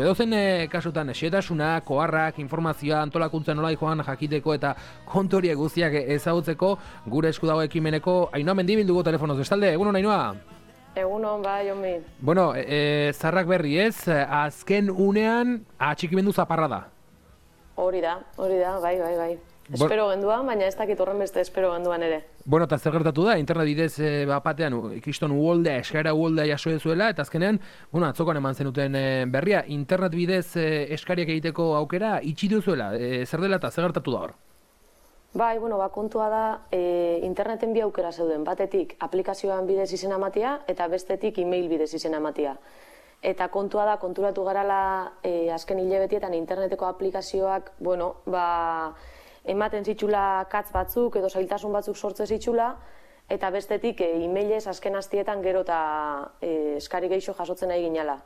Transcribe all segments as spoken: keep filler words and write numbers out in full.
Edozen e, kasutan, xetasuna, koharrak, informazioa, antolakuntza nola joan jakiteko eta kontoria guztiak ezagutzeko gure esku dago ekimeneko Ainhoa Mendibilduko telefonoz. Bestalde, egunon Ainhoa? Egunon, bai, Jonbi. Bueno, e, zarrak berri ez, azken unean atxikimendu zaparra da. Hori da, hori da, bai, bai, bai. Espero genduan, baina ez dakit horren beste espero genduan ere. Bueno, eta zer gertatu da, internet bidez e, bapatean, ikiston uholdea, eskaera uholdea jaso zuela, eta azkenean, bueno, atzokoan eman zenuten e, berria, internet bidez e, eskariak egiteko aukera itxi duzuela, e, zer dela eta zer gertatu da hor? Bai, bueno, ba, kontua da, e, interneten bi aukera zeuden, batetik aplikazioan bidez izena ematia, eta bestetik e-mail bidez izena ematia. Eta kontua da, konturatu garala e, azken hilabetietan interneteko aplikazioak, bueno, ba, ematen zitxula katz batzuk edo zailtasun batzuk sortze zitxula, eta bestetik e-mailez azken hastietan gero eta e, eskari geixo jasotzen nahi ginala.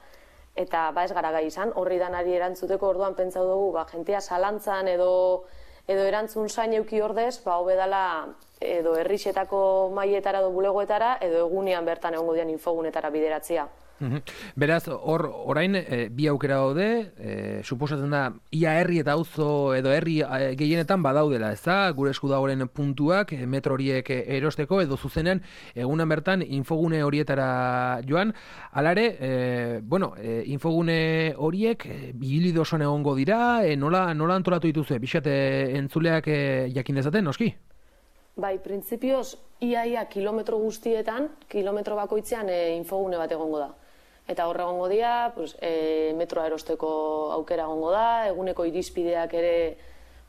Eta ba ez gara gai izan, horri danari erantzuteko orduan pentsatu dugu, ba, jentea zalantzan edo, edo erantzun zain euki ordez, ba, hobedala edo herrixetako maietara edo bulegoetara, edo egunean bertan egongo dian infogunetara bideratzea. Beraz, hor, orain, e, bi aukera daude, e, suposatzen da, ia herri eta auzo edo herri e, gehienetan badaudela, ez da, gure esku dagoen puntuak, e, metro horiek erosteko, edo zuzenean, egunan bertan, infogune horietara joan. Alare, e, bueno, e, infogune horiek, e, bilido osoan egongo dira, e, nola, nola antolatu dituzue, bixat e, entzuleak e, jakin dezaten, noski? Bai, printzipioz, iaia kilometro guztietan, kilometro bakoitzean e, infogune bat egongo da. Eta horre egongo dira, pues, e, metroa erosteko aukera egongo da, eguneko irizpideak ere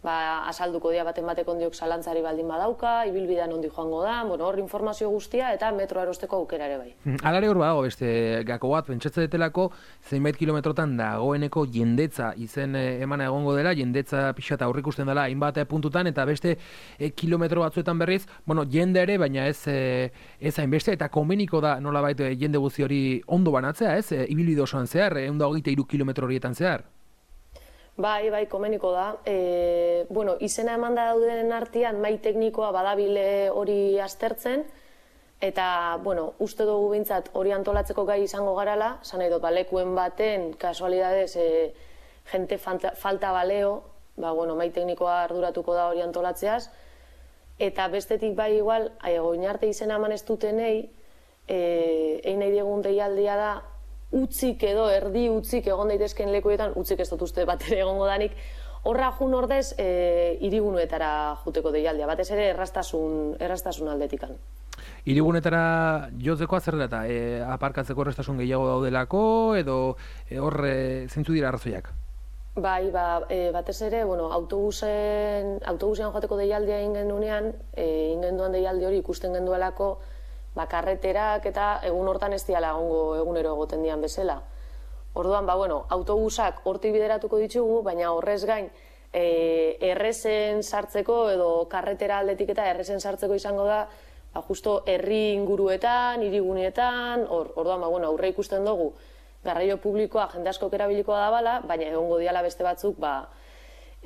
ba, azalduko dira baten batek ondiok zalantzari baldin badauka, ibilbidean ondi joango da, bueno, hor informazio guztia eta metroa erosteko aukera ere bai. Alare hor badago beste gako bat, pentsatze detelako zeinbait kilometrotan dagoeneko jendetza izen emana egongo dela, jendetza pixa eta aurrikusten dela hainbat puntutan, eta beste e, kilometro batzuetan berriz, bueno, jende ere, baina ez e, ez hainbeste, eta komeniko da nolabait jende guzti hori ondo banatzea, ez? E, ibilbide osoan zehar, ehun eta hogeita hiru kilometro horietan zehar. Bai, bai, komeniko da. E, bueno, izena eman da daudenen artean mai teknikoa badabile hori aztertzen, eta, bueno, uste dugu bintzat hori antolatzeko gai izango garala, zan nahi dut, balekuen baten, kasualidadez, e, jente falta, falta baleo, ba, bueno, mai teknikoa arduratuko da hori antolatzeaz, eta bestetik bai igual, oin arte izena eman ez dutenei, e, egin nahi diegun deialdia da, utzik edo erdi utzik egon daitezken lekuetan, utzik ez dut uste bat ere egongo danik, horra jun ordez e, irigunuetara juteko deialdia, batez ere erraztasun, erraztasun aldetikan. Irigunetara jotzeko zer da eta e, aparkatzeko erraztasun gehiago daudelako edo e, hor e, zeintzu dira arrazoiak? Bai, ba, e, batez ere, bueno, autobusen, autobusean joateko deialdia egin genunean, e, egin genduan deialdi hori ikusten genduelako, ba, karreterak eta egun hortan ez diala egongo egunero egoten dian bezala. Orduan, ba, bueno, autobusak hortik bideratuko ditugu, baina horrez gain e, errezen sartzeko edo karretera aldetik eta errezen sartzeko izango da, ba, justo herri inguruetan, hiriguneetan, or, orduan, ba, bueno, aurre ikusten dugu, garraio publikoa jende askok erabilikoa da bala, baina egongo diala beste batzuk, ba,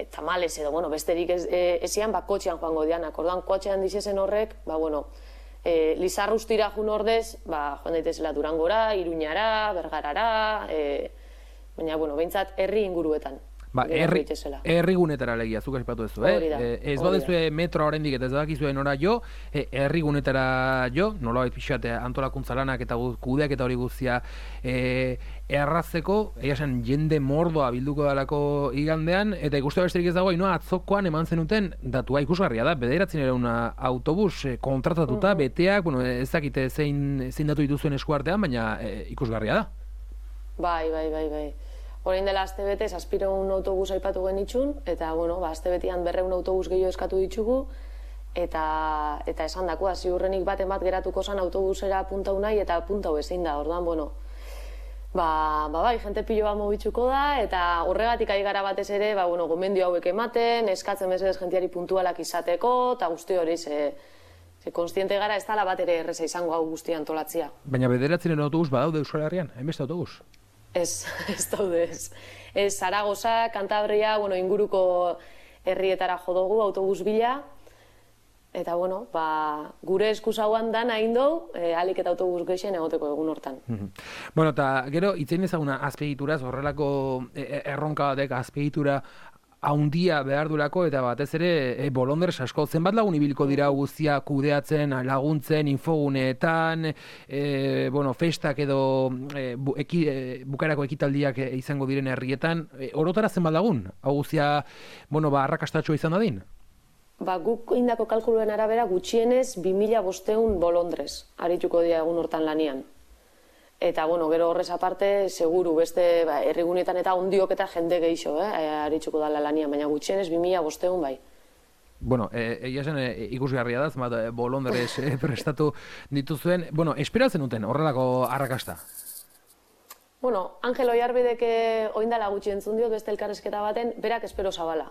tamales edo, bueno, besterik ez, e, ezian, ba, kotxean joango dianak. Orduan, kotxean dizezen horrek, ba, bueno, E, Lizarrustira jun ordez, ba, joan daitezela Durangora, Iruñara, Bergarara, e, baina, bueno, behintzat herri inguruetan. Ba, herri, herri gunetara legia, zuk aipatu duzu, eh? E, ez badezue metro oraindik eta ez badakizue nora jo, e, herri gunetara jo, nolabait pixate antolakuntza lanak eta kudeak eta hori guztia e, errazteko, egia esan jende mordoa bilduko dalako igandean, eta ikuste besterik ez dago, inoa atzokoan eman zenuten datua ikusgarria da, bederatzen ere una autobus e, kontratatuta, mm-hmm. beteak, bueno, ez dakite zein, zein datu dituzuen eskuartean, baina e, ikusgarria da. Bai, bai, bai, bai. Orain dela aste bete, zazpireun autobus aipatu genitxun, eta, bueno, ba, aste betean berreun autobus gehiago eskatu ditugu, eta, eta esan dakoa, ziurrenik baten bat geratuko zan autobusera puntau nahi, eta puntau ezin da, orduan, bueno, ba, ba, bai, jente pilo bat mobitzuko da, eta horregatik ari gara batez ere, ba, bueno, gomendio hauek ematen, eskatzen bezez jentiari puntualak izateko, eta guzti hori, ze, ze konstiente gara ez dala bat ere erreza izango hau guztia antolatzia. Baina bederatzenen autobus badaude Euskal Herrian, hainbeste autobus? Ez, ez daude ez. Ez, Zaragoza, Kantabria, bueno, inguruko herrietara jo dugu autobus bila, Eta, bueno, ba, gure eskuzauan dan hain dugu, e, alik eta autobus geixen egoteko egun hortan. Bueno, eta gero, itzein ezaguna azpiegituraz, horrelako erronka batek azpiegitura haundia behar durako, eta batez ere e, bolondres asko. Zenbat lagun ibilko dira guztia kudeatzen, laguntzen, infoguneetan, e, bueno, festak edo e, bu, eki, e, bukarako ekitaldiak e, izango diren herrietan, e, orotara zenbat lagun? Hau guztia, bueno, ba, arrakastatxoa izan dadin? Ba, guk indako kalkuluen arabera gutxienez bi mila bostehun bolondrez arituko dira egun hortan lanian. Eta, bueno, gero horrez aparte, seguru, beste ba, herrigunetan eta ondiok eta jende geixo, eh, aritzuko dala lanian, baina gutxienez bi mila bostehun bai. Bueno, egia zen e, ikusgarria da, zenbat bolondrez e, prestatu dituzuen. Bueno, esperatzen duten horrelako arrakasta? Bueno, Angel Oiarbideke oindala gutxi entzun diot beste elkarrezketa baten, berak espero zabala.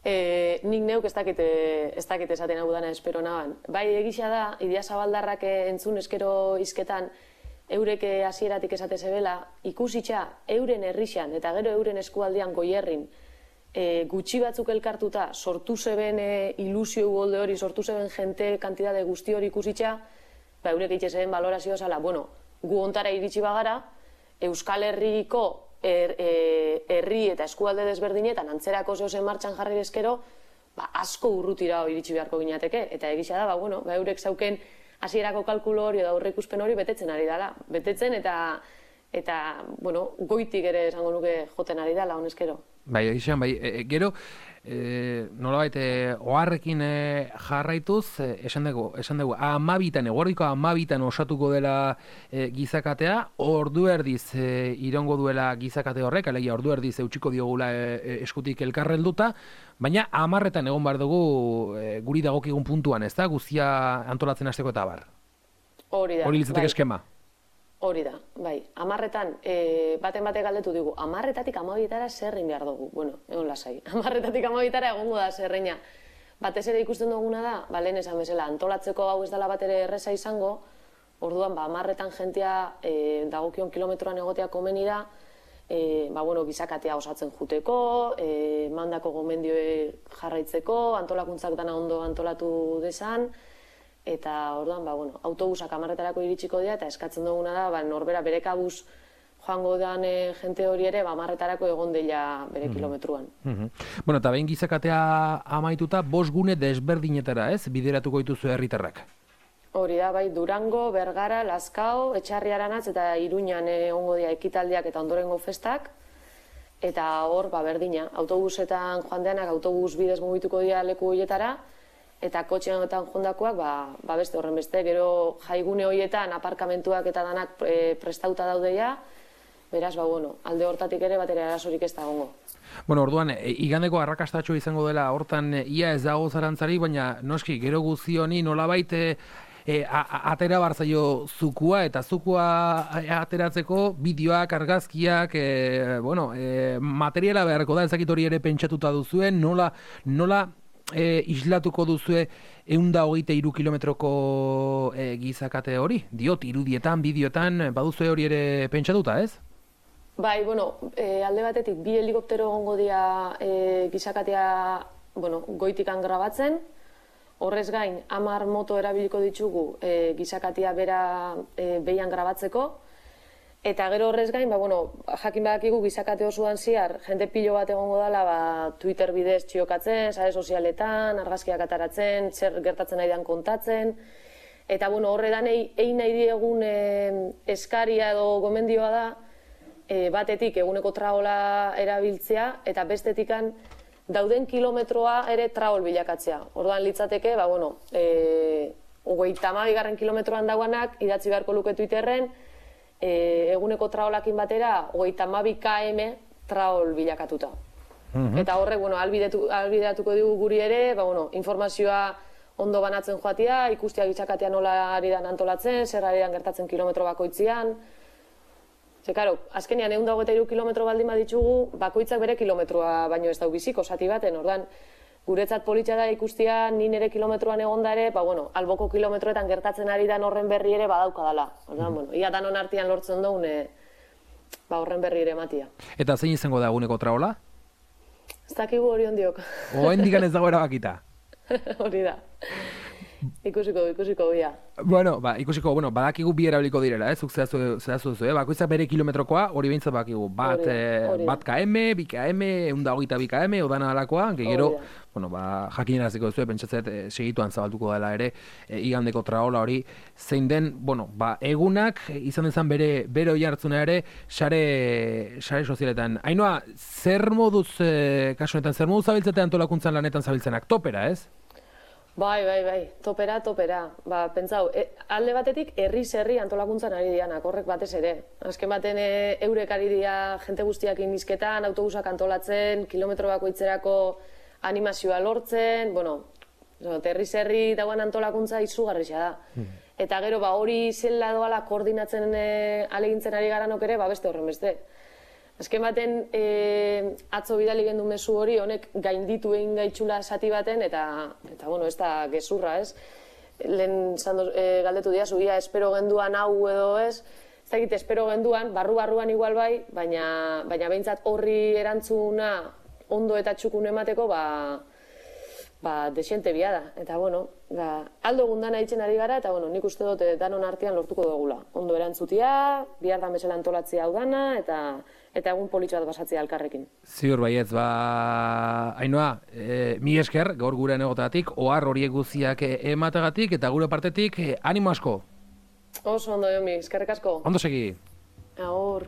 E, nik neuk ez dakite, ez dakite esaten hau dana espero naban. Bai, egisa da, Idia Zabaldarrak entzun eskero izketan, eureke hasieratik esate zebela, ikusitxa euren herrixan eta gero euren eskualdean goierrin e, gutxi batzuk elkartuta sortu zeben e, ilusio golde hori, sortu zeben jente kantidade guzti hori ikusitxa, ba eurek itxe zeben valorazioa zala, bueno, gu ontara iritsi bagara, Euskal Herriko er, e, herri eta eskualde desberdinetan antzerako zehozen martxan jarri eskero, ba, asko urrutira iritsi beharko ginateke, eta egisa da, ba, bueno, ba, eurek zauken hasierako kalkulo hori edo aurreikuspen hori betetzen ari dela. Betetzen eta, eta bueno, goitik ere esango nuke joten ari dela, honezkero. Bai, egizan, bai, e, gero, e, nolabait, e, oharrekin e, jarraituz, e, esan dugu, esan dugu, amabitan, eguerdiko amabitan osatuko dela e, gizakatea, ordu erdiz e, irongo duela gizakate horrek, alegia ordu erdiz eutxiko diogula e, eskutik elkarrelduta, baina amarretan egon behar dugu e, guri dagokigun puntuan, ez da, guztia antolatzen hasteko eta bar. Hori da. Hori litzateke eskema. Hori da, bai. Amarretan, e, baten batek galdetu digu, amarretatik amabietara zerrin behar dugu. Bueno, egon lasai. Amarretatik amabietara egongo da zerreina. Batez ere ikusten duguna da, ba, lehen esan bezala, antolatzeko hau ez dela bat ere erreza izango, orduan, ba, amarretan jentia e, dagokion kilometroan egotea komeni da, e, ba, bueno, gizakatea osatzen juteko, e, mandako gomendioe jarraitzeko, antolakuntzak dana ondo antolatu desan, eta orduan, ba, bueno, autobusak amarretarako iritsiko dira, eta eskatzen duguna da, ba, norbera bere kabuz joango dan e, jente hori ere, ba, amarretarako egon dela bere mm-hmm. kilometruan. Mm-hmm. Bueno, eta behin gizakatea amaituta, bost gune desberdinetara, ez, bideratuko dituzu herritarrak? Hori da, bai, Durango, Bergara, Lazkao, Etxarri Aranatz eta Iruñan egongo dira ekitaldiak eta ondorengo festak, eta hor, ba, berdina, autobusetan joan deanak autobus bidez mugituko dira leku horietara, eta kotxean jondakoak, ba, ba beste horren beste, gero jaigune horietan aparkamentuak eta danak e, prestauta daudeia, beraz, ba, bueno, alde hortatik ere batera arazorik ez da gongo. Bueno, orduan, e, igandeko arrakastatxo izango dela, hortan e, ia ez dago zarantzari, baina noski, gero guzti honi nolabait e, e, a, a, atera barzaio zukua, eta zukua ateratzeko bideoak, argazkiak, e, bueno, e, materiala beharko da, ezakit hori ere pentsatuta duzuen, nola, nola, E, islatuko duzue ehun hogeita hiru kilometroko e, gizakate hori? Diot, irudietan, bideotan, baduzue hori ere pentsatuta, ez? Bai, bueno, e, alde batetik bi helikoptero egongo dira e, gizakatea, bueno, goitikan grabatzen, horrez gain, hamar moto erabiliko ditugu e, gizakatea bera e, behian grabatzeko, eta gero horrez gain, ba, bueno, jakin badakigu gizakate osoan ziar, jende pilo bat egongo dela, ba, Twitter bidez txiokatzen, sare sozialetan, argazkiak ataratzen, zer gertatzen nahi dan kontatzen, eta bueno, horredan egin nahi diegun e, eskaria edo gomendioa da, e, batetik eguneko traola erabiltzea, eta bestetikan dauden kilometroa ere traol bilakatzea. Orduan litzateke, ba, bueno, e, hogeita hamabigarren kilometroan dauanak, idatzi beharko luke Twitterren, E, eguneko traolakin batera, hogeita hamabi kilometro traol bilakatuta. Mm-hmm. Eta horrek, bueno, albideatuko digu guri ere, ba, bueno, informazioa ondo banatzen joatia, ikustia gizakatea nola ari dan antolatzen, zer ari dan gertatzen kilometro bakoitzian. Ze, karo, azkenean ehun eta hogeita hiru kilometro baldin baditugu, bakoitzak bere kilometroa baino ez dau biziko, zati baten, ordan, guretzat politxa da ikustia ni nire kilometroan egonda ere, ba, bueno, alboko kilometroetan gertatzen ari dan horren berri ere badauka dela. Ordan, bueno, ia danon artean lortzen dugun, e, ba, horren berri ere matia. Eta zein izango da eguneko traola? Ez dakigu hori ondiok. Oendikan ez dago erabakita. Hori da. Ikusiko, ikusiko bia. Bueno, ba, ikusiko, bueno, badakigu bi erabiliko direla, eh? Zuk zehazu duzu, eh? Bakoitzak bere kilometrokoa, hori behintzat bakigu. Bat, bat km, bi km, egun da hogeita bi km, odana alakoa, gero, bueno, ba, jakineraziko duzu, pentsatzet, segituan zabaltuko dela ere, igandeko traola hori, zein den, bueno, ba, egunak, izan dezan bere, bere oi hartzuna ere, sare, sare sozialetan. Ainhoa, zer moduz, kasu honetan, zer moduz zabiltzete antolakuntzan lanetan zabiltzenak? Topera, ez? Bai, bai, bai, topera, topera. Ba, pentsau, e, alde batetik herriz herri antolakuntzan ari dianak, horrek batez ere. Azken baten e, eurek ari dira jente guztiak inizketan, autobusak antolatzen, kilometro bakoitzerako animazioa lortzen, bueno, herriz herri dagoen antolakuntza izugarria da. Hmm. Eta gero, ba, hori zela doala koordinatzen e, alegintzen ari garanok ere, ba, beste horren beste. Azken baten, e, atzo bidali gendu mezu hori, honek gainditu egin gaitxula sati baten, eta, eta bueno, ez da gezurra, ez? Lehen zando, e, galdetu dira, zuia, espero genduan hau edo ez, ez dakit, espero genduan, barru-barruan igual bai, baina, baina behintzat horri erantzuna ondo eta txukun emateko, ba, ba, desiente bia da. Eta, bueno, da, aldo gundana itzen ari gara, eta, bueno, nik uste dut danon artean lortuko dugula. Ondo erantzutia, bihar da mesela antolatzea hau dana, eta eta egun politxo bat basatzea alkarrekin. Ziur baietz, ba, Ainhoa, e, mi esker, gaur gure egotatik, ohar horiek guztiak emategatik, eta gure partetik, e, animo asko. Oso ondo, Jomi, eskerrik asko. Ondo segi. Agur.